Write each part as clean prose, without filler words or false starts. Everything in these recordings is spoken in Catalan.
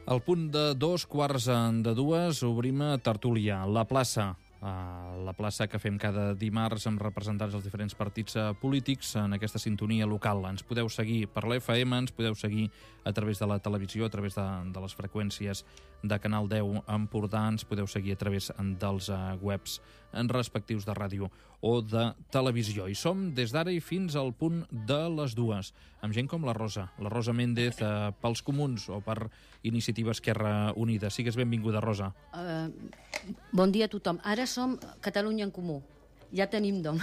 Al punt de 2:15 obrim a tertúlia, la plaça que fem cada dimarts amb representants dels diferents partits polítics en aquesta sintonia local. Ens podeu seguir per l'FM, ens podeu seguir a través de la televisió, a través de les freqüències de Canal 10 Empordà, ens podeu seguir a través dels webs respectius de ràdio o de televisió. I som des d'ara i fins al punt de les 2, amb gent com la Rosa Méndez pels Comuns o per Iniciativa Esquerra Unida. Sigues benvinguda, Rosa. Bon dia a tothom. Ara som Catalunya en Comú. Ja tenim nom.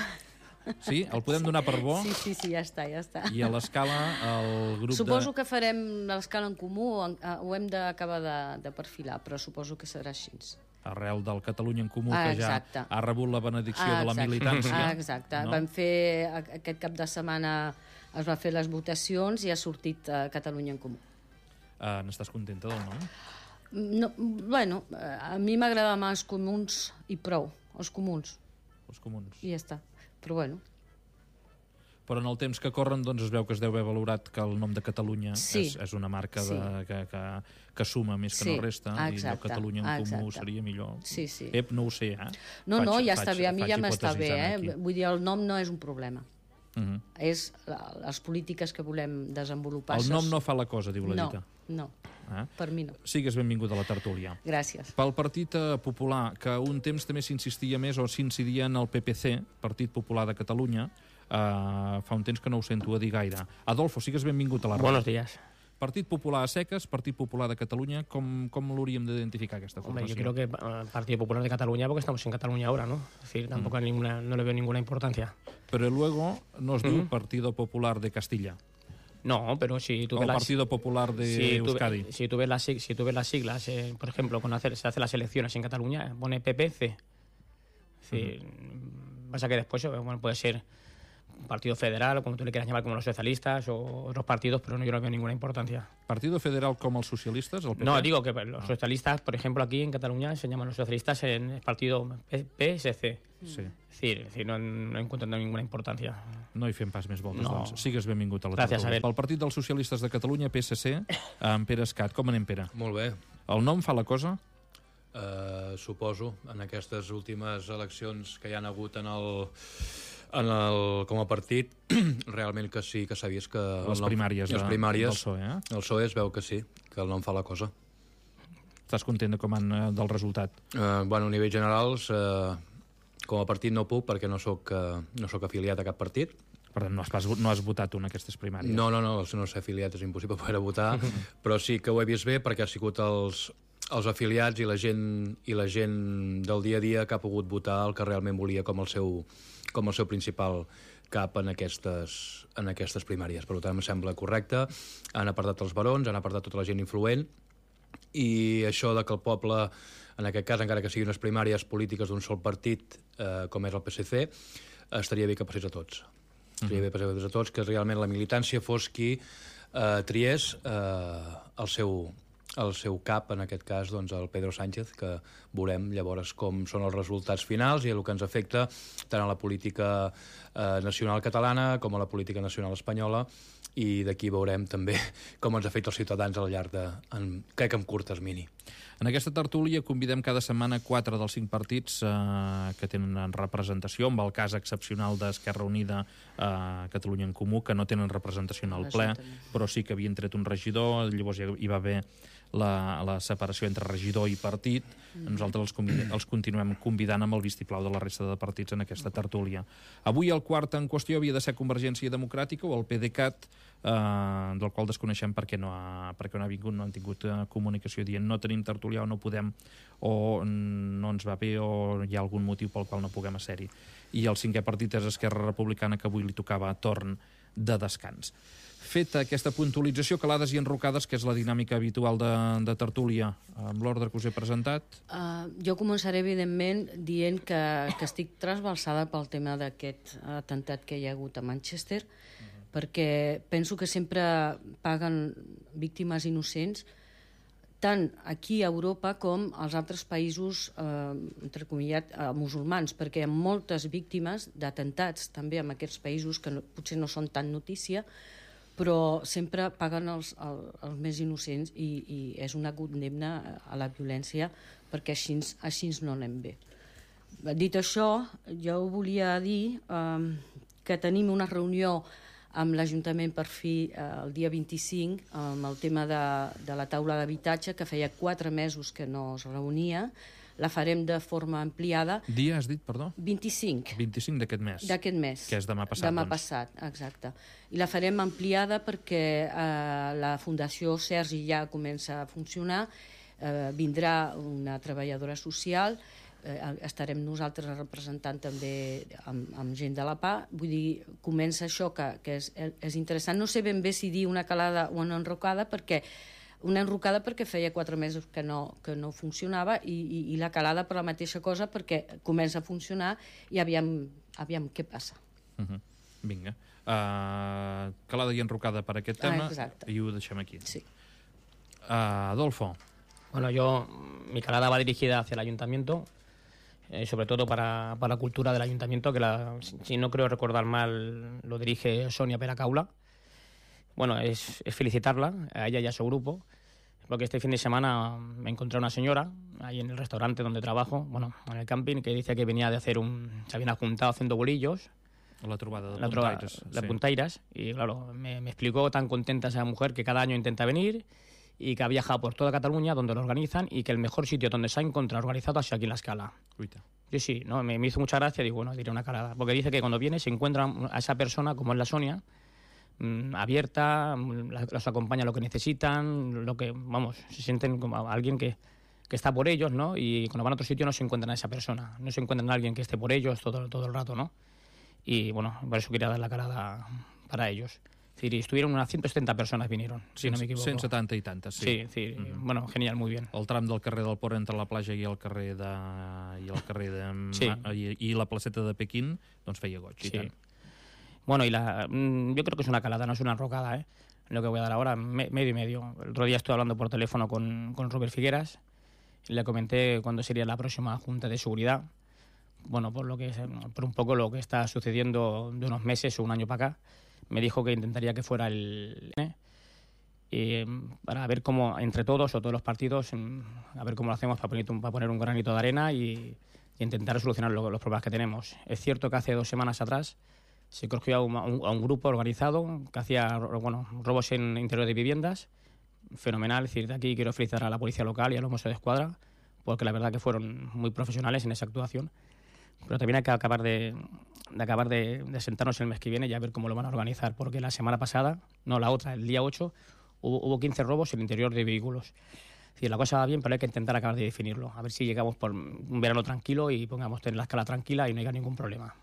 Sí? El podem donar per bo? Sí, ja està. I a l'escala, el grup Suposo que farem l'escala en comú, ho hem d'acabar de perfilar, però suposo que serà així. Arrel del Catalunya en Comú, que ja ha rebut la benedicció de la militància. Exacte. Vam fer, aquest cap de setmana es va fer les votacions i ha sortit Catalunya en Comú. N'estàs contenta del nom? No, bueno, a mi m'agrada més els comuns i prou, els comuns. Els comuns. I ja està, però bueno. Però en el temps que corren doncs es veu que es deu haver valorat que el nom de Catalunya és una marca que suma més que no resta, i el Catalunya en Comú seria millor. Sí. No ho sé, No, ja està bé, a mi ja m'està bé, vull dir, el nom no és un problema. És les polítiques que volem desenvolupar. El nom no fa la cosa, diu la dita. No, per mi no. Sigues benvinguda a la tertúlia. Gràcies. Pel Partit Popular, que un temps també s'insistia més o s'incidia en el PPC, Partit Popular de Catalunya, fa un temps que no ho sento a dir gaire. Adolfo, sigues benvingut a la ràdio. Buenos días. Partit Popular a seques, Partit Popular de Catalunya, com l'hauríem d'identificar aquesta formació? Hombre, yo creo que Partido Popular de Cataluña, porque estamos en Cataluña ahora, ¿no? Es decir, tampoco no le veo ninguna importancia. Pero luego nos diu Partido Popular de Castilla. No, pero si tú ves el Partido Popular de Euskadi. Si tú ves las siglas, por ejemplo, cuando se hacen las elecciones en Cataluña, pone PPC. Es decir, pasa que después puede ser un partido federal, o como tú le quieras llamar, como los socialistas o otros partidos, pero yo no veo ninguna importancia. ¿Partido federal como los socialistas? El PP? No, digo que los socialistas, por ejemplo, aquí en Cataluña se llaman los socialistas en el partido PSC. Sí. Es decir, no encuentro ninguna importancia. No hi fem pas més voltes, doncs. Sigues benvingut a la tertúlia. Gràcies, Pel Partit dels Socialistes de Catalunya, PSC, amb Pere Escat. Com anem, Pere? Molt bé. El nom fa la cosa? Suposo, en aquestes últimes eleccions que hi han hagut com a partit, realment que sí que s'ha vist que... Les primàries del PSOE, El PSOE es veu que sí, que el nom fa la cosa. Estàs content del resultat? Bueno, a nivell generals, com a partit no puc, perquè no soc afiliat a cap partit. Per tant, no has votat en aquestes primàries? No, si no ser afiliat és impossible poder votar, però sí que ho he vist bé perquè ha sigut els afiliats i la gent del dia a dia que ha pogut votar el que realment volia com el seu principal cap en aquestes primàries. Per tant, em sembla correcte. Han apartat els barons, han apartat tota la gent influent, i això de que el poble, en aquest cas, encara que siguin unes primàries polítiques d'un sol partit, com és el PSC, estaria bé que passés a tots. Estaria bé que passés a tots, que realment la militància fos qui triés el seu cap, en aquest cas, doncs, el Pedro Sánchez, que veurem llavors com són els resultats finals i el que ens afecta tant a la política nacional catalana com a la política nacional espanyola, i d'aquí veurem també com ens afecta els ciutadans al llarg crec que en curt termini. En aquesta tertúlia convidem cada setmana 4 dels 5 partits que tenen representació, amb el cas excepcional d'Esquerra Unida, Catalunya en Comú, que no tenen representació en el ple, però sí que havien tret un regidor, llavors hi va haver la separació entre regidor i partit. Nosaltres els continuem convidant amb el vistiplau de la resta de partits en aquesta tertúlia. Avui el quart en qüestió havia de ser Convergència Democràtica o el PDeCAT, del qual desconeixem per què no ha vingut, no han tingut comunicació dient no tenim tertúlia o no podem, o no ens va bé, o hi ha algun motiu pel qual no puguem ser-hi. I el cinquè partit és Esquerra Republicana, que avui li tocava torn de descans. Feta aquesta puntualització, calades i enrocades, que és la dinàmica habitual de tertúlia, amb l'ordre que us he presentat. Jo començaré, evidentment, dient que estic trasbalsada pel tema d'aquest atemptat que hi ha hagut a Manchester, perquè penso que sempre paguen víctimes innocents, tant aquí a Europa com als altres països, entrecomillat, musulmans, perquè hi ha moltes víctimes d'atemptats també en aquests països que potser no són tan notícia, però sempre paguen els més innocents i és una condemna a la violència perquè així no anem bé. Dit això, jo volia dir que tenim una reunió amb l'Ajuntament per fi el dia 25 amb el tema de la taula d'habitatge, que feia 4 mesos que no es reunia. La farem de forma ampliada. Dia, has dit, perdó? 25. 25 d'aquest mes. D'aquest mes. Que és demà passat, Demà passat, exacte. I la farem ampliada perquè la Fundació Sergi ja comença a funcionar, vindrà una treballadora social, estarem nosaltres representant també amb gent de la PA. Vull dir, comença això que és interessant. No sé ben bé si dir una calada o una enrocada, perquè feia 4 mesos que no funcionava, i la calada per la mateixa cosa, perquè comença a funcionar i aviam què passa. Vinga. Calada i enrocada per aquest tema, i ho deixem aquí. Sí. Adolfo. Bueno, mi calada va dirigida hacia el ayuntamiento, sobre todo para la cultura del ayuntamiento, que si no creo recordar mal, lo dirige Sonia Peracaula. Bueno, es felicitarla, a ella y a su grupo, porque este fin de semana me encontré a una señora ahí en el restaurante donde trabajo, bueno, en el camping, que dice que venía de se habían juntado haciendo bolillos. La trobada de puntaires. De puntaires, y claro, me explicó tan contenta esa mujer que cada año intenta venir y que ha viajado por toda Cataluña donde lo organizan y que el mejor sitio donde se ha encontrado organizado es aquí en La Escala. Uita. Yo sí, ¿no? Me hizo mucha gracia, digo, bueno, diré una calada, porque dice que cuando viene se encuentra a esa persona, como es la Sonia, abierta, los acompaña lo que necesitan, se sienten como alguien que está por ellos, ¿no? Y cuando van a otro sitio no se encuentran a esa persona, no se encuentran a alguien que esté por ellos todo el rato, ¿no? Y bueno, por eso quería dar la calada para ellos. Es decir, estuvieron unas 170 personas, vinieron, si no me equivoco. 170 i tantes, sí. Sí, bueno, genial, muy bien. El tram del carrer del Port entre la platja i el carrer Sí. i la placeta de Pequín, doncs feia goig, i tant. Bueno, yo creo que es una calada, no es una enrocada, lo que voy a dar ahora, medio y medio. El otro día estuve hablando por teléfono con Robert Figueras y le comenté cuándo sería la próxima Junta de Seguridad. Bueno, por un poco lo que está sucediendo de unos meses o un año para acá. Me dijo que intentaría que fuera para ver cómo, entre todos o todos los partidos, a ver cómo lo hacemos para poner un granito de arena y intentar solucionar los problemas que tenemos. Es cierto que hace 2 semanas atrás se cogió a un grupo organizado que hacía robos en interior de viviendas. Fenomenal. Es decir, de aquí quiero felicitar a la policía local y a los Mossos de Escuadra, porque la verdad que fueron muy profesionales en esa actuación. Pero también hay que acabar de sentarnos el mes que viene y a ver cómo lo van a organizar, porque la semana pasada, no la otra, el día 8, hubo 15 robos en el interior de vehículos. Es decir, la cosa va bien, pero hay que intentar acabar de definirlo. A ver si llegamos por un verano tranquilo y pongamos tener la escala tranquila y no haya ningún problema.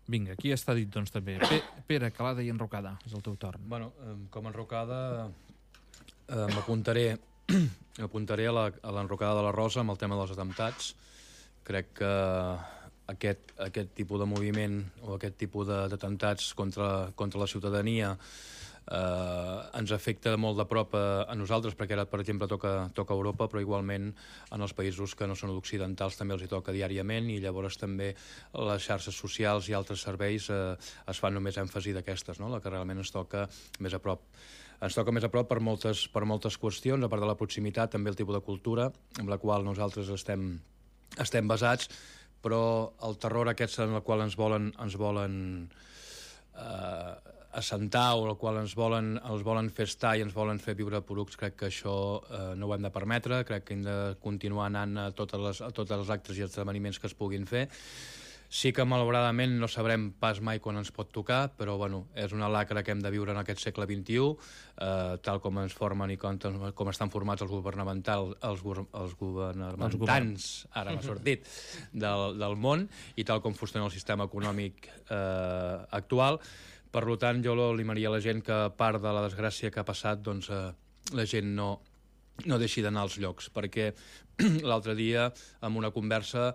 Vinga, aquí està dit, doncs, també. Pere, calada i enrocada, és el teu torn. Bueno, com a enrocada m'apuntaré a l'enrocada de la Rosa amb el tema dels atemptats. Crec que aquest tipus de moviment o aquest tipus d'atemptats contra la ciutadania ens afecta molt de prop a nosaltres, perquè ara, per exemple, toca Europa, però igualment en els països que no són occidentals també els hi toca diàriament, i llavors també les xarxes socials i altres serveis es fan només èmfasi d'aquestes, no? La que realment ens toca més a prop. Ens toca més a prop per moltes qüestions, a part de la proximitat, també el tipus de cultura amb la qual nosaltres estem basats, però el terror aquest en el qual ens volen assentar, o el qual ens volen fer estar i ens volen fer viure porucs, crec que això no ho hem de permetre. Crec que hem de continuar anant a tots els actes i esdeveniments que es puguin fer. Sí que malauradament no sabrem pas mai quan ens pot tocar, però bueno, és una lacra que hem de viure en aquest segle XXI, tal com ens formen i com estan formats els governants, ara m'ha sortit, del món, i tal com funciona el sistema econòmic actual. Per tant, jo li animaria a la gent que, a part de la desgràcia que ha passat, doncs la gent no deixi d'anar als llocs, perquè l'altre dia, en una conversa,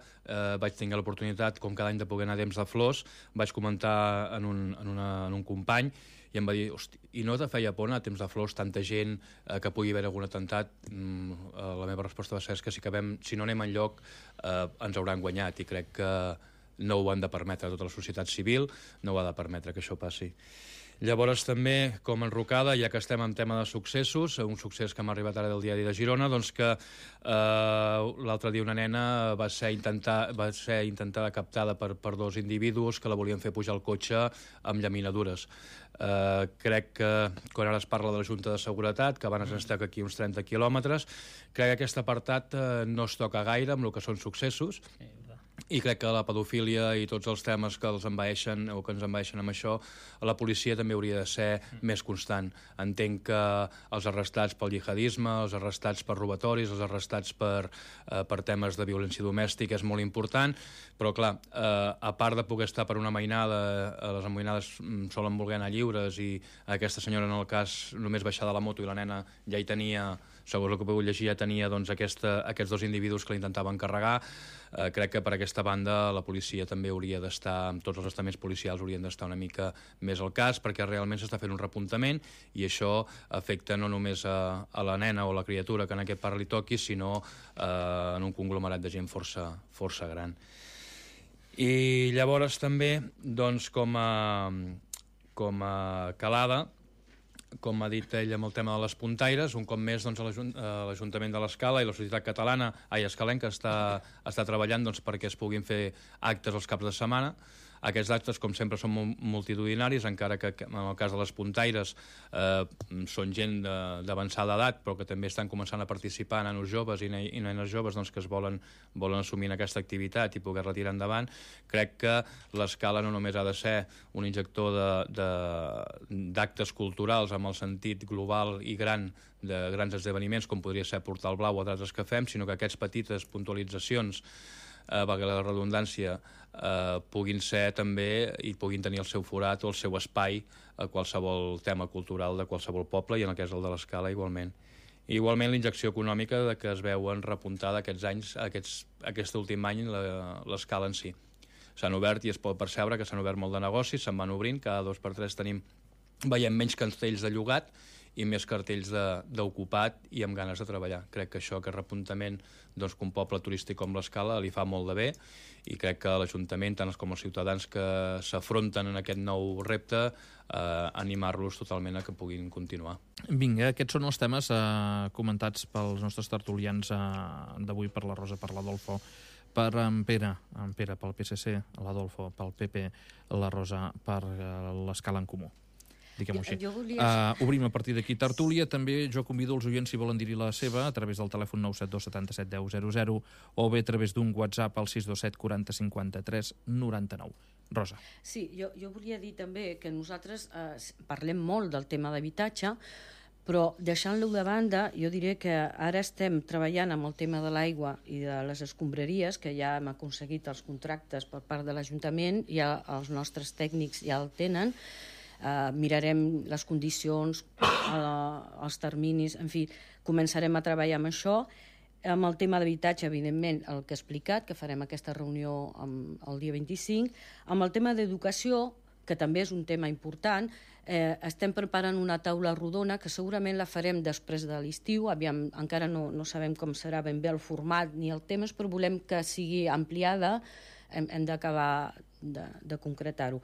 vaig tenir l'oportunitat, com cada any, de poder anar a Temps de Flors. Vaig comentar en un company i em va dir, hosti, i no te feia por anar a Temps de Flors, tanta gent, que pugui haver algun atemptat? La meva resposta va ser que si no anem enlloc ens hauran guanyat, i crec que no ho han de permetre tota la societat civil, no ho ha de permetre que això passi. Llavors també, com enrocada, ja que estem en tema de successos, un succés que m'ha arribat ara del diari de Girona, doncs que l'altre dia una nena va ser intentada captada per dos individus que la volien fer pujar al cotxe amb llaminadures. Crec que quan ara es parla de la Junta de Seguretat, que van estar aquí uns 30 quilòmetres, crec que aquest apartat no es toca gaire amb el que són successos, i crec que la pedofília i tots els temes que els envaeixen o que ens envaeixen amb això, la policia també hauria de ser més constant. Entenc que els arrestats pel jihadisme, els arrestats per robatoris, els arrestats per temes de violència domèstica és molt important, però clar, a part de poder estar per una mainada, les amainades solen voler anar lliures i aquesta senyora en el cas només baixar de la moto i la nena ja hi tenia, segons el que he pogut llegir, ja tenia doncs, aquests dos individus que l'intentaven carregar. Crec que per aquesta banda la policia també hauria d'estar, tots els estaments policials haurien d'estar una mica més al cas, perquè realment s'està fent un repuntament i això afecta no només a la nena o la criatura que en aquest part li toqui, sinó en un conglomerat de gent força gran. I llavors també, doncs, com a calada, com ha dit ell amb el tema de les puntaires, un cop més doncs, l'Ajuntament de l'Escala i la societat catalana, escalenca, està treballant doncs, perquè es puguin fer actes els caps de setmana. Aquests actes, com sempre, són multitudinaris, encara que en el cas de les puntaires són gent d'avançada edat, però que també estan començant a participar, nanos joves i nenes joves doncs, que es volen assumir en aquesta activitat i poder-la tirar endavant. Crec que l'Escala no només ha de ser un injector d'actes culturals amb el sentit global i gran de grans esdeveniments, com podria ser Portal Blau o d'altres que fem, sinó que aquestes petites puntualitzacions, valgui la redundància, puguin ser també i puguin tenir el seu forat o el seu espai a qualsevol tema cultural de qualsevol poble, i en el cas del de l'Escala igualment. Igualment l'injecció econòmica que es veuen repuntada aquests anys, aquest últim any, l'Escala en si. S'han obert i es pot percebre que s'han obert molt de negocis, se'n van obrint, cada 2 per 3 veiem menys cartells de llogat i més cartells d'ocupat i amb ganes de treballar. Crec que això, aquest repuntament, doncs, que un poble turístic com l'Escala li fa molt de bé, i crec que l'Ajuntament, tant com els ciutadans que s'afronten en aquest nou repte, animar-los totalment a que puguin continuar. Vinga, aquests són els temes comentats pels nostres tertulians d'avui, per la Rosa, per l'Adolfo, per en Pere pel PSC, l'Adolfo pel PP, la Rosa per l'Escala en Comú. Diguem-ho així. Obrim a partir d'aquí tertúlia. També jo convido els oients, si volen dir-hi la seva, a través del telèfon 972 77 10 00 o bé a través d'un WhatsApp al 627 40 53 99. Rosa. Sí, jo volia dir també que nosaltres parlem molt del tema d'habitatge, però deixant-lo de banda, jo diré que ara estem treballant amb el tema de l'aigua i de les escombraries, que ja hem aconseguit els contractes per part de l'Ajuntament, ja els nostres tècnics ja el tenen. Mirarem les condicions, els terminis, en fi, començarem a treballar amb això. Amb el tema d'habitatge, evidentment, el que he explicat, que farem aquesta reunió el dia 25. Amb el tema d'educació, que també és un tema important, estem preparant una taula rodona que segurament la farem després de l'estiu. Encara no sabem com serà ben bé el format ni el temps, però volem que sigui ampliada, hem d'acabar de concretar-ho.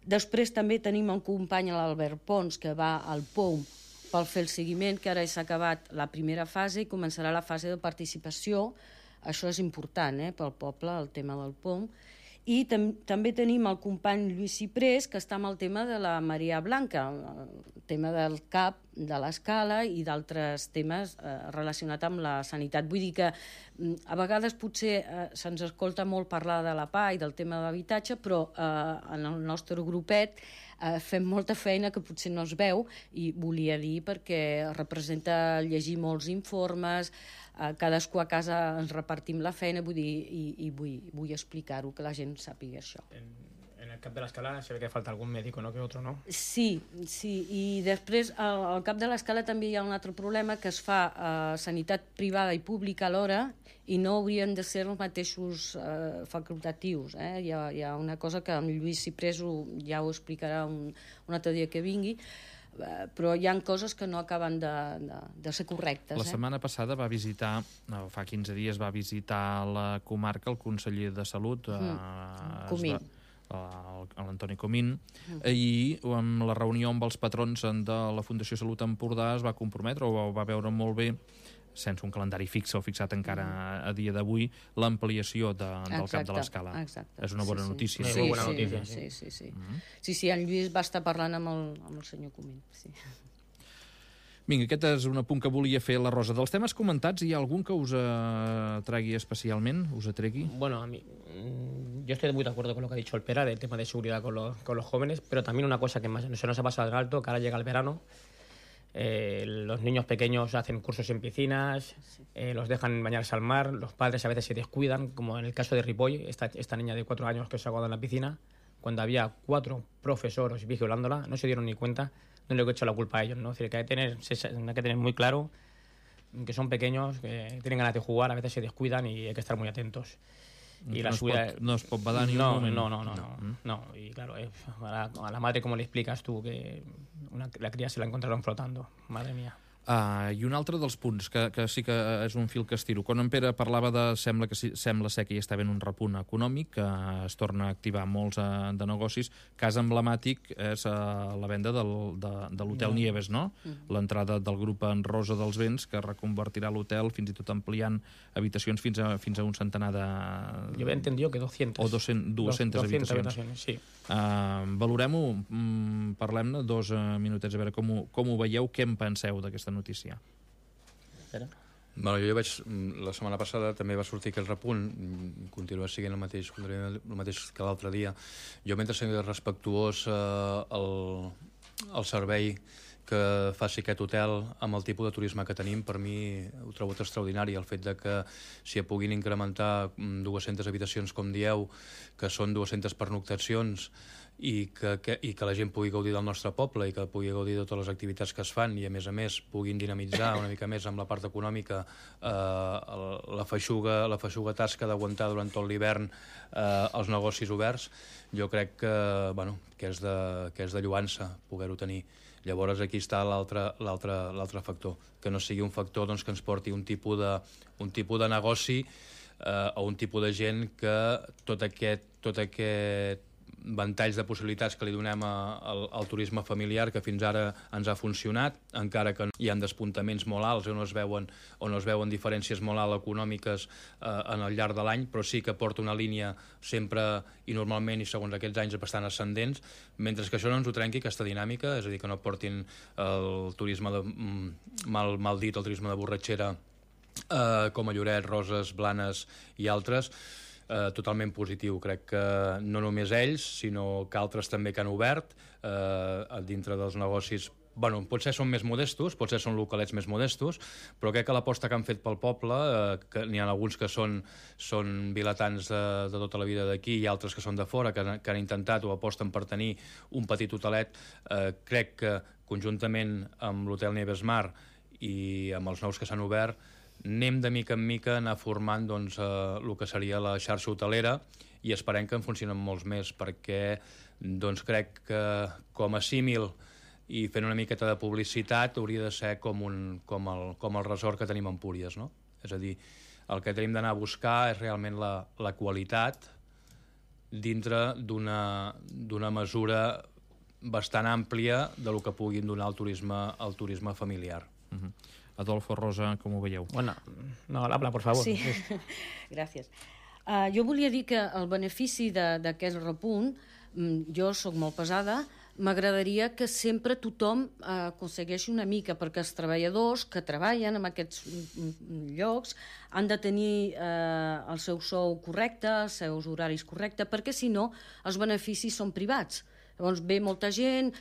Després també tenim un company, l'Albert Pons, que va al POUM per fer el seguiment, que ara s'ha acabat la primera fase i començarà la fase de participació. Això és important pel poble, el tema del POUM. I també tenim el company Lluís Ciprés, que està amb el tema de la Maria Blanca, el tema del CAP, de l'Escala i d'altres temes relacionats amb la sanitat. Vull dir que a vegades potser se'ns escolta molt parlar de la PA i del tema de l'habitatge, però en el nostre grupet fem molta feina que potser no es veu, i volia dir perquè representa llegir molts informes, cadascú a casa ens repartim la feina, vull dir, i vull explicar-ho, que la gent sàpiga això. En el CAP de l'Escala se ve que falta algun médico, ¿no?, que otro, ¿no? Sí, i després al CAP de l'Escala també hi ha un altre problema, que es fa sanitat privada i pública alhora, i no haurien de ser els mateixos facultatius. Hi ha una cosa que amb Lluís Ciprés ja ho explicarà un altre dia que vingui. però hi ha coses que no acaben de ser correctes. La setmana passada va visitar, fa 15 dies, va visitar la comarca el conseller de Salut, Comín. l'Antoni Comín, i amb la reunió amb els patrons de la Fundació Salut Empordà es va comprometre, o va veure molt bé, sense un calendari fix o fixat encara a dia d'avui, l'ampliació del cap de l'escala. És una bona notícia. Sí, bona notícia. Sí, en Lluís va estar parlant amb el senyor Comín. Sí. Vinga, aquest és un apunt que volia fer la Rosa. Dels temes comentats, hi ha algun que us tregui especialment? Us atregui? Bueno, a mí, yo estoy muy de acuerdo con lo que ha dicho el Pera del tema de seguridad con los jóvenes, pero también una cosa que se nos ha pasado de alto, que ahora llega el verano, los niños pequeños hacen cursos en piscinas, los dejan bañarse al mar, los padres a veces se descuidan, como en el caso de Ripoll, esta niña de 4 años que se ha ahogado en la piscina, cuando había 4 profesores vigilándola, no se dieron ni cuenta. No le he hecho la culpa a ellos, ¿no? Es decir, que hay que tener muy claro que son pequeños, que tienen ganas de jugar, a veces se descuidan y hay que estar muy atentos. Y no es pot badar ni un moment. No. Y claro, a la madre, ¿cómo le explicas tú que la cría se la encontraron flotando? Madre mía. I un altre dels punts, que sí que és un fil que estiro. Quan en Pere parlava sembla ser que hi està havent un repunt econòmic, que es torna a activar molts de negocis. Cas emblemàtic és la venda de l'hotel Nieves, no? L'entrada del grup en Rosa dels Vents, que reconvertirà l'hotel, fins i tot ampliant habitacions fins a un centenar de... Jo he entendido que 200. O 200 habitacions. Sí. Valorem-ho, parlem-ne 2 minutets, a veure com ho veieu, què en penseu d'aquesta notícia. Bueno, jo vaig, la setmana passada també va sortir aquell repunt, continua sent el mateix que l'altre dia. Jo, mentre sigui respectuós el servei que faci aquest hotel amb el tipus de turisme que tenim, per mi ho trobo extraordinari. El fet de que s'hi puguin incrementar 200 habitacions, com dieu, que són 200 pernoctacions, i que la gent pugui gaudir del nostre poble i que pugui gaudir de totes les activitats que es fan i a més puguin dinamitzar una mica més amb la part econòmica la feixuga tasca d'aguantar durant tot l'hivern els negocis oberts, jo crec que és de lloança poder-ho tenir. Llavors aquí està l'altre factor, que no sigui un factor que ens porti un tipus de negoci o un tipus de gent que tot aquest ventalls de possibilitats que li donem al turisme familiar, que fins ara ens ha funcionat, encara que hi ha despuntaments molt alts on es veuen diferències molt altes econòmiques en el llarg de l'any, però sí que porta una línia sempre i normalment i segons aquests anys bastant ascendents, mentre que això no ens ho trenqui, aquesta dinàmica, és a dir, que no portin el turisme mal dit, el turisme de borratxera com a Lloret, Roses, Blanes i altres, totalment positiu. Crec que no només ells, sinó que altres també que han obert dintre dels negocis. Potser són més modestos, potser són localets més modestos, però crec que l'aposta que han fet pel poble, que n'hi ha alguns que són vilatans de tota la vida d'aquí i altres que són de fora, que han intentat o aposten per tenir un petit hotelet, crec que conjuntament amb l'hotel Nieves Mar i amb els nous que s'han obert, anem de mica en mica anar formant el que seria la xarxa hotelera i esperem que en funcionen molts més, perquè crec que com a símil i fent una miqueta de publicitat hauria de ser com el resort que tenim a Empúries, no? És a dir, el que tenim d'anar a buscar és realment la qualitat dintre d'una mesura bastant àmplia del que puguin donar el turisme familiar. Adolfo, Rosa, com ho veieu? Bueno, no, habla, por favor. Sí, gràcies. Jo volia dir que el benefici d'aquest repunt, jo sóc molt pesada, m'agradaria que sempre tothom aconsegueixi una mica, perquè els treballadors que treballen en aquests llocs han de tenir el seu sou correcte, els seus horaris correctes, perquè si no els beneficis són privats. Llavors ve molta gent,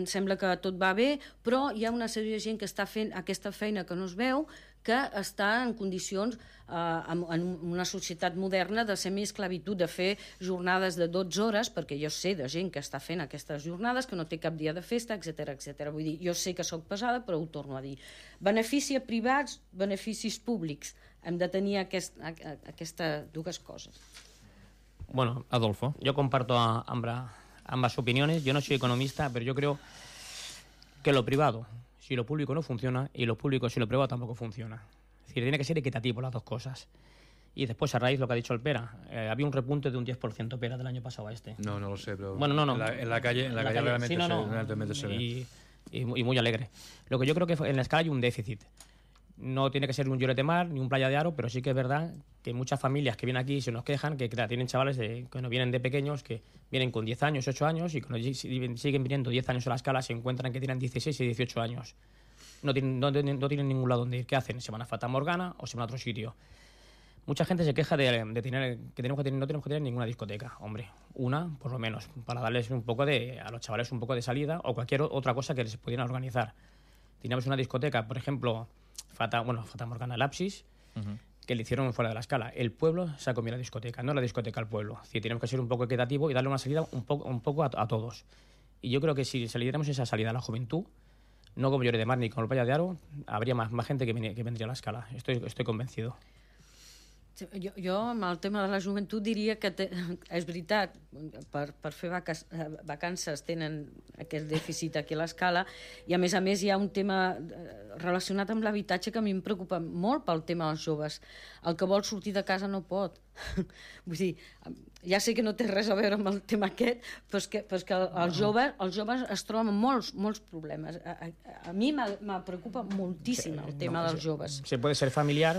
sembla que tot va bé, però hi ha una sèrie de gent que està fent aquesta feina que no es veu, que està en condicions, en una societat moderna, de semiesclavitud, de fer jornades de 12 hores, perquè jo sé de gent que està fent aquestes jornades, que no té cap dia de festa, etc. Vull dir, jo sé que sóc pesada, però ho torno a dir. Benefici a privats, beneficis públics. Hem de tenir aquestes dues coses. Bueno, Adolfo. Yo comparto ambas opiniones. Yo no soy economista, pero yo creo que lo privado, si lo público no funciona, y lo público si lo privado tampoco funciona. Es decir, tiene que ser equitativo las dos cosas. Y después, a raíz de lo que ha dicho el Pera, había un repunte de un 10% Pera del año pasado a este. No lo sé, pero... Bueno, no. En la calle realmente, sí, realmente se ve. Y muy alegre. Lo que yo creo que en la escala hay un déficit. No tiene que ser un Lloret de Mar ni un Playa de Aro, pero sí que es verdad que muchas familias que vienen aquí se nos quejan que claro, tienen chavales que no vienen de pequeños, que vienen con 10 años, 8 años, y cuando siguen viniendo 10 años a la escala se encuentran que tienen 16 y 18 años. No tienen ningún lado donde ir. ¿Qué hacen? ¿Se van a Fata Morgana o se van a otro sitio? Mucha gente se queja de no tenemos que tener ninguna discoteca. Hombre, una, por lo menos, para darles un poco a los chavales un poco de salida o cualquier otra cosa que les pudieran organizar. Teníamos una discoteca, por ejemplo, Fata Morgana Lapsis, que le hicieron fuera de la escala. El pueblo se ha comido la discoteca, no la discoteca al pueblo. Es decir, tenemos que ser un poco equitativo y darle una salida un poco a todos. Y yo creo que si le diéramos esa salida a la juventud, no como Lloret de Mar ni como el Playa de Aro, habría más gente que vendría a la escala. Estoy convencido. Jo amb el tema de la joventut diria que és veritat, per fer vacances tenen aquest dèficit aquí a l'escala, i a més hi ha un tema relacionat amb l'habitatge que a mi em preocupa molt pel tema dels joves. El que vol sortir de casa no pot. Vull dir, ja sé que no té res a veure amb el tema aquest, però és que els joves es troben molts problemes. A mi me preocupa moltíssim el tema dels joves. Se puede ser familiar.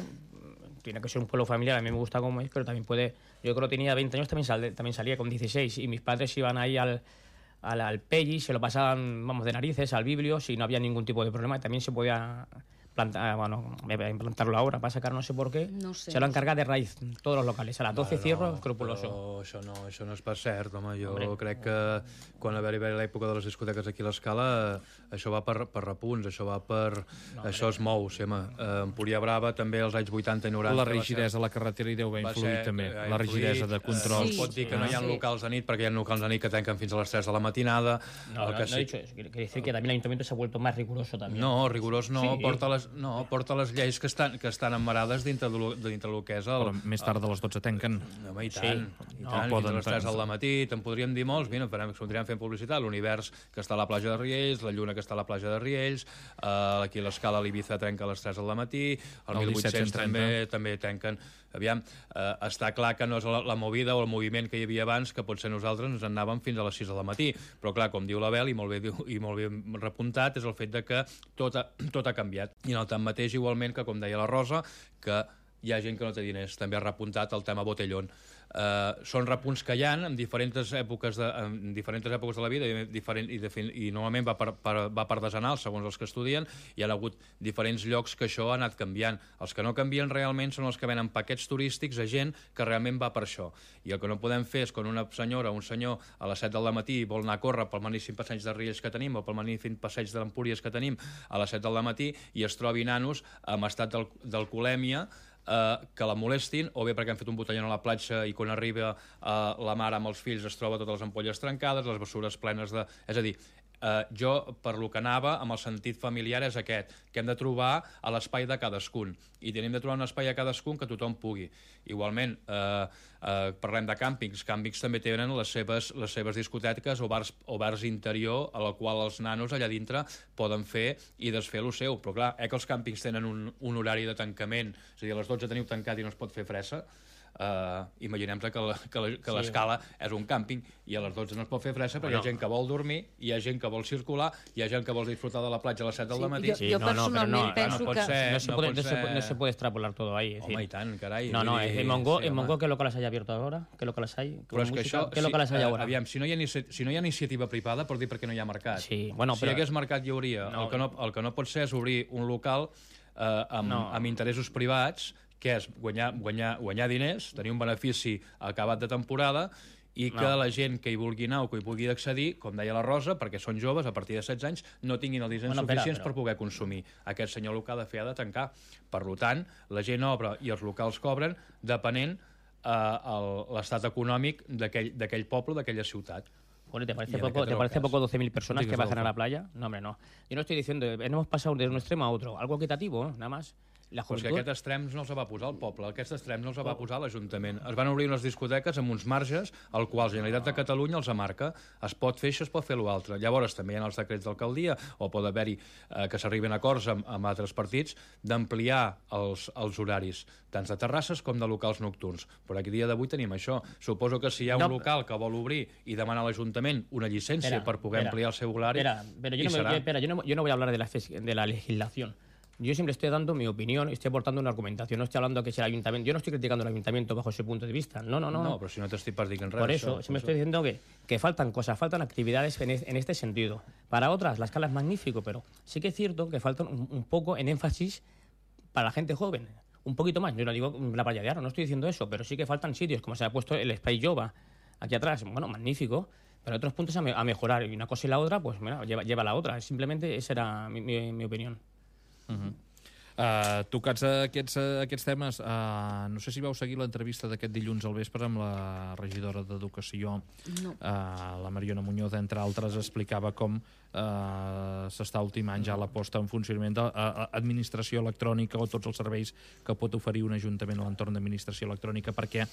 Tiene que ser un pueblo familiar, a mí me gusta como es, pero también puede... Yo creo que tenía 20 años, también salía con 16, y mis padres iban ahí al Pelli, se lo pasaban, de narices, al Biblio, si no había ningún tipo de problema, y también se podía implantarlo ahora, para sacar no sé por qué, no sé, se lo han cargat de raïz tots els locals. A les 12 cierro, escrupuloso. Això no és pas cert, home. Jo crec que quan va haver l'època de les discoteques aquí a l'Escala, això va per repunts, això es mou, Empúria Brava també als anys 80 i 90... La rigidesa a la carretera hi deu haver influït també, la rigidesa de control. Es pot dir que no hi ha locals de nit, perquè hi ha locals de nit que tanquen fins a les 3 de la matinada. No he dicho eso, quiere decir que también el ayuntamiento se ha vuelto más riguroso también. No, rigorós no, porta les lleis que estan emmarades dintre el que és el... Però més tard de les 12 tanquen. Home, i tant, fins a les 3 del matí, te'n podríem dir molts, mira, podríem fer publicitat, l'Univers que està a la platja de Riells, la Lluna que està a la platja de Riells, aquí a l'Escala l'Ibiza trenca a les 3 del matí, el 1800 també tanquen. Aviam, està clar que no és la movida o el moviment que hi havia abans, que potser nosaltres ens anàvem fins a les 6 del matí, però clar, com diu l'Abel, i molt bé repuntat, és el fet de que tot ha canviat. I en el tanmateix, igualment, que com deia la Rosa, que hi ha gent que no té diners. També ha repuntat el tema botellón. Són repunts que hi ha en diferents èpoques de la vida i normalment va per desenals, segons els que estudien. Hi ha hagut diferents llocs que això ha anat canviant. Els que no canvien realment són els que venen paquets turístics a gent que realment va per això. I el que no podem fer és quan una senyora o un senyor a les 7 del matí vol anar a córrer pel magnífic passeig de Riells que tenim o pel magnífic passeig d'Empúries que tenim a les 7 del matí i es trobi nanos amb estat d'alcoholèmia que la molestin, o bé perquè han fet un botellón a la platja i quan arriba la mare amb els fills es troba totes les ampolles trencades, les bessures plenes de... És a dir, jo, per lo que anava, amb el sentit familiar és aquest, que hem de trobar a l'espai de cadascun, i tenim de trobar un espai a cadascun que tothom pugui. Igualment, parlem de càmpings també tenen les seves discoteques o bars interior a la qual els nanos allà dintre poden fer i desfer el seu, però clar, que els càmpings tenen un horari de tancament, és a dir, a les 12 teniu tancat i no es pot fer fressa. Imaginem-te que l'Escala és un càmping i a les 12 no es pot fer fressa perquè hi ha gent que vol dormir, hi ha gent que vol circular, hi ha gent que vol disfrutar de la platja a les 7 del matí. Jo personalment penso que... No se puede extrapolar todo ahí. Home, i tant, carai. En Mongo, ¿qué locales hay abiertos ahora? ¿Qué locales hay? Però és que això... ¿Qué locales hay ahora? Aviam, si no hi ha iniciativa privada, pot dir perquè no hi ha mercat. Sí, bueno, si hi hagués mercat hi hauria. El que no pot ser és obrir un local amb interessos privats, que és guanyar diners, tenir un benefici acabat de temporada i que la gent que hi vulgui anar o que hi pugui accedir, com deia la Rosa, perquè són joves, a partir de 16 anys, no tinguin els diners suficients per poder consumir. Aquest senyor el que ha de fer ha de tancar. Per tant, la gent obre i els locals cobren depenent l'estat econòmic d'aquell poble, d'aquella ciutat. Bueno, ¿te parece poco 12.000 personas que bajan a la playa? No, hombre, no. Yo no estoy diciendo, hemos pasado de un extremo a otro. Algo equitativo, nada más. la Però és que juventud... aquests extrems no els va posar el poble, aquests extrems no els va posar l'Ajuntament. Es van obrir unes discoteques amb uns marges al qual la Generalitat de Catalunya els marca. Es pot fer això, es pot fer l'altre. Llavors també hi ha els decrets d'alcaldia, o pot haver-hi que s'arriben a acords amb altres partits, d'ampliar els horaris, tant de terrasses com de locals nocturns. Però aquí dia d'avui tenim això. Suposo que si hi ha un local que vol obrir i demanar a l'Ajuntament una llicència per poder ampliar el seu horari, yo no voy a hablar de la legislación. Yo siempre estoy dando mi opinión, estoy aportando una argumentación, no estoy hablando que es el ayuntamiento, yo no estoy criticando al ayuntamiento bajo ese punto de vista, no. No, pero si no te estoy partiendo en Por eso, siempre estoy diciendo que faltan cosas, faltan actividades en este sentido. Para otras, la escala es magnífico, pero sí que es cierto que faltan un poco en énfasis para la gente joven. Un poquito más, yo no digo la playa de Aro, no estoy diciendo eso, pero sí que faltan sitios, como se ha puesto el Space Jova aquí atrás, bueno, magnífico, pero hay otros puntos a mejorar, y una cosa y la otra, pues mira, lleva la otra. Simplemente esa era mi opinión. Tocats aquests temes, no sé si vau seguir l'entrevista d'aquest dilluns al vespre amb la regidora d'Educació, la Mariona Muñoz, entre altres, explicava com s'està ultimant ja la posta en funcionament d'administració electrònica o tots els serveis que pot oferir un ajuntament a l'entorn d'administració electrònica, perquè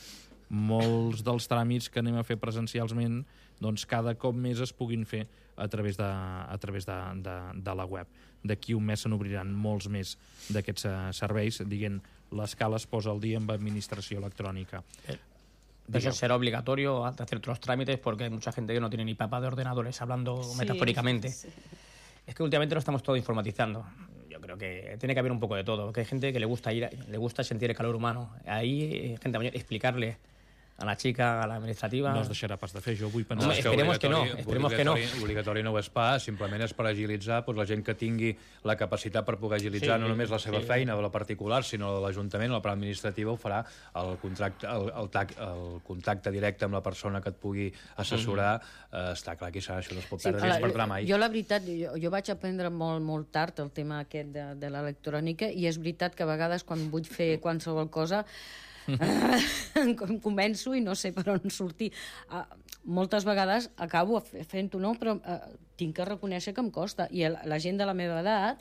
molts dels tràmits que anem a fer presencialment doncs cada cop més es puguin fer a través de la web. D'aquí un mes se n'obriran molts més d'aquests serveis, dient l'escala es posa al dia amb administració electrònica. Eso será obligatorio hacer otros trámites porque hay mucha gente que no tiene ni papá de ordenadores, hablando metafóricamente. Sí. Es que últimamente lo estamos todo informatizando. Yo creo que tiene que haber un poco de todo, que hay gente que le gusta sentir el calor humano. Ahí, gente mayor, explicarle a la chica, a la administrativa... No es deixarà pas de fer, jo vull pensar... Esperemos que no. Obligatori no ho és pas, simplement és per agilitzar la gent que tingui la capacitat per poder agilitzar no només la seva feina de la particular, sinó de l'Ajuntament, la part administrativa ho farà, el contacte directe amb la persona que et pugui assessorar, està clar que això no es pot perdre, no es perdrà mai. Jo, la veritat, jo vaig aprendre molt tard el tema aquest de l'electrònica, i és veritat que a vegades quan vull fer qualsevol cosa començo i no sé per on sortir. Moltes vegades acabo fent-ho, no? Però tinc que reconèixer que em costa. I la gent de la meva edat,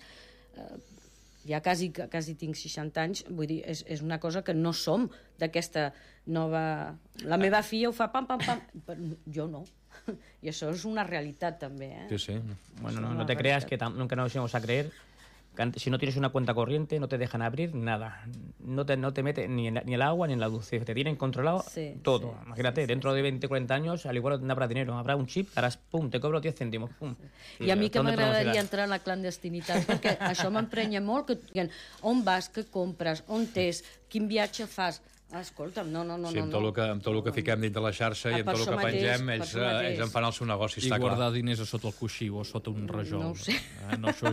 ja quasi tinc 60 anys, vull dir, és una cosa que no som d'aquesta nova... La meva filla ho fa pam, pam, pam, però jo no. I això és una realitat, també. Sí. Bueno, no te creas que nunca nos íbamos a creer. Si no tienes una cuenta corriente, no te dejan abrir nada. No te meten ni el agua ni en la luz. Te tienen controlado todo. Imagínate, dentro de 20, 40 años, al igual no habrá dinero. Habrá un chip, harás, pum, te cobro 10 cèntims, pum. I a mi que m'agradaria entrar en la clandestinitat, perquè això m'emprenya molt, que diguin on vas, què compres, on t'és, quin viatge fas... Escolta'm, no. Sí, amb tot el que fiquem dins de la xarxa i amb tot el que pengem, ells en fan el seu negoci, està clar. I guardar diners a sota el coixí o a sota un rajol. No ho sé. No, això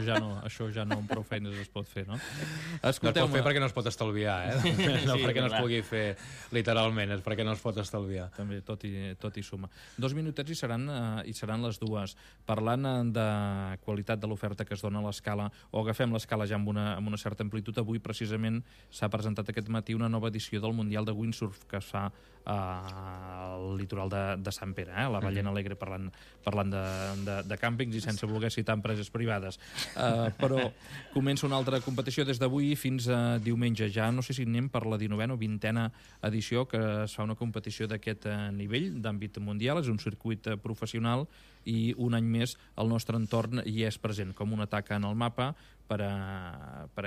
ja no amb prou feines es pot fer, no? No es pot fer perquè no es pot estalviar, no perquè no es pugui fer literalment, és perquè no es pot estalviar. També, tot i suma. 2 minutets i seran les 2. Parlant de qualitat de l'oferta que es dona a l'escala, o agafem l'escala ja amb una certa amplitud, avui precisament s'ha presentat aquest matí una nova edició del Mundial de Windsurf que es fa al litoral de Sant Pere, la Ballena Alegre, parlant de càmpings i sense voler citar empreses privades. Però comença una altra competició des d'avui fins a diumenge. Ja no sé si anem per la 19a o 20a edició que es fa una competició d'aquest nivell, d'àmbit mundial. És un circuit professional i un any més el nostre entorn hi és present com una taca en el mapa per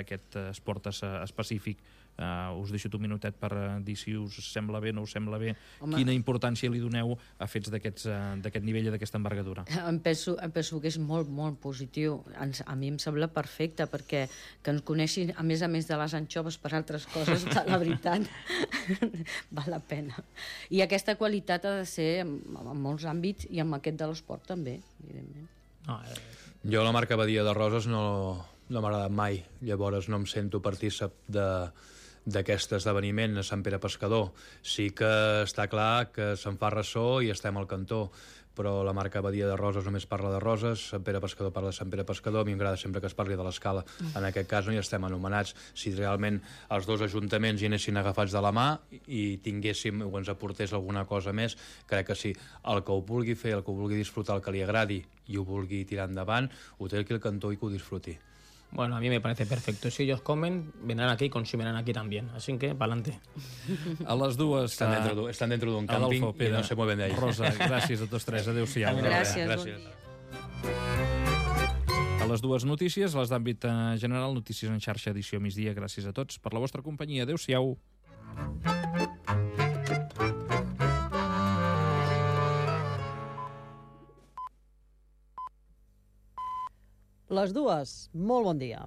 aquest esport específic. Us deixo un minutet per dir si us sembla bé, no us sembla bé. Home, quina importància li doneu a fets d'aquest nivell i d'aquesta envergadura? Em penso que és molt, molt positiu. A mi em sembla perfecte, perquè que ens coneixin, a més de les anxoves per altres coses, la veritat, val la pena. I aquesta qualitat ha de ser en molts àmbits i en aquest de l'esport també, evidentment. Jo la marca Badia de Roses no m'ha agradat mai, llavors no em sento partícip d'aquest esdeveniment a Sant Pere Pescador. Sí que està clar que se'n fa ressò i estem al cantó, però la marca Badia de Roses només parla de roses, Sant Pere Pescador parla de Sant Pere Pescador, a mi m'agrada sempre que es parli de l'escala. En aquest cas no hi estem anomenats. Si realment els dos ajuntaments hi anessin agafats de la mà i tinguéssim o ens aportés alguna cosa més, crec que sí. El que ho vulgui fer, el que ho vulgui disfrutar, el que li agradi i ho vulgui tirar endavant, ho té aquí al cantó i que ho disfruti. Bueno, a mí me parece perfecto. Si ellos comen, vendrán aquí y consumirán aquí también. Así que, para adelante. A les dues... Están dentro d'un càmping Adolfo, Pere, i no se mueven de ahí. Rosa, gràcies a tots tres. Adéu-siau. Gràcies. Gràcies. A les dues notícies, les d'àmbit general, notícies en xarxa, edició migdia. Gràcies a tots per la vostra companyia. Adéu-siau. Les dues, molt bon dia.